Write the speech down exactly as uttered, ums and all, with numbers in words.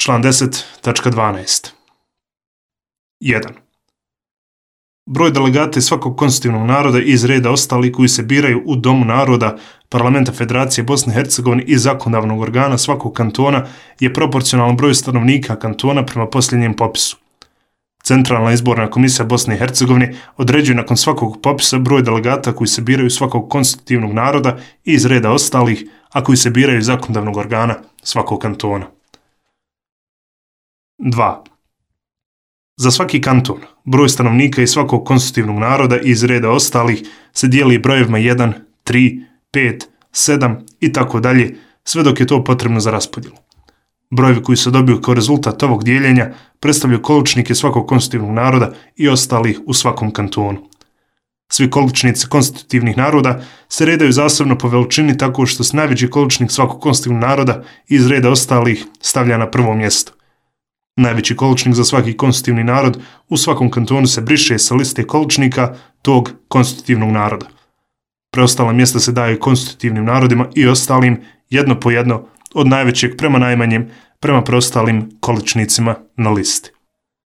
Član deset tačka dvanaest. jedan. Broj delegata iz svakog konstitutivnog naroda iz reda ostalih koji se biraju u Domu naroda Parlamenta Federacije Bosne i Hercegovine i zakonodavnog organa svakog kantona je proporcionalan broju stanovnika kantona prema posljednjem popisu. Centralna izborna komisija Bosne i Hercegovine određuje nakon svakog popisa broj delegata koji se biraju svakog konstitutivnog naroda i iz reda ostalih, a koji se biraju iz zakonodavnog organa svakog kantona. dva. Za svaki kanton, broj stanovnika iz svakog konstitutivnog naroda i iz reda ostalih se dijeli brojevima jedan, tri, pet, sedam i tako dalje, sve dok je to potrebno za raspodjelu. Brojevi koji se dobiju kao rezultat ovog dijeljenja predstavljaju količnike svakog konstitutivnog naroda i ostalih u svakom kantonu. Svi količnici konstitutivnih naroda se redaju zasebno po veličini tako što se najveći količnik svakog konstitutivnog naroda iz reda ostalih stavlja na prvo mjesto. Najveći količnik za svaki konstitutivni narod u svakom kantonu se briše sa liste količnika tog konstitutivnog naroda. Preostala mjesta se daju konstitutivnim narodima i ostalim jedno po jedno od najvećeg prema najmanjem prema preostalim količnicima na listi.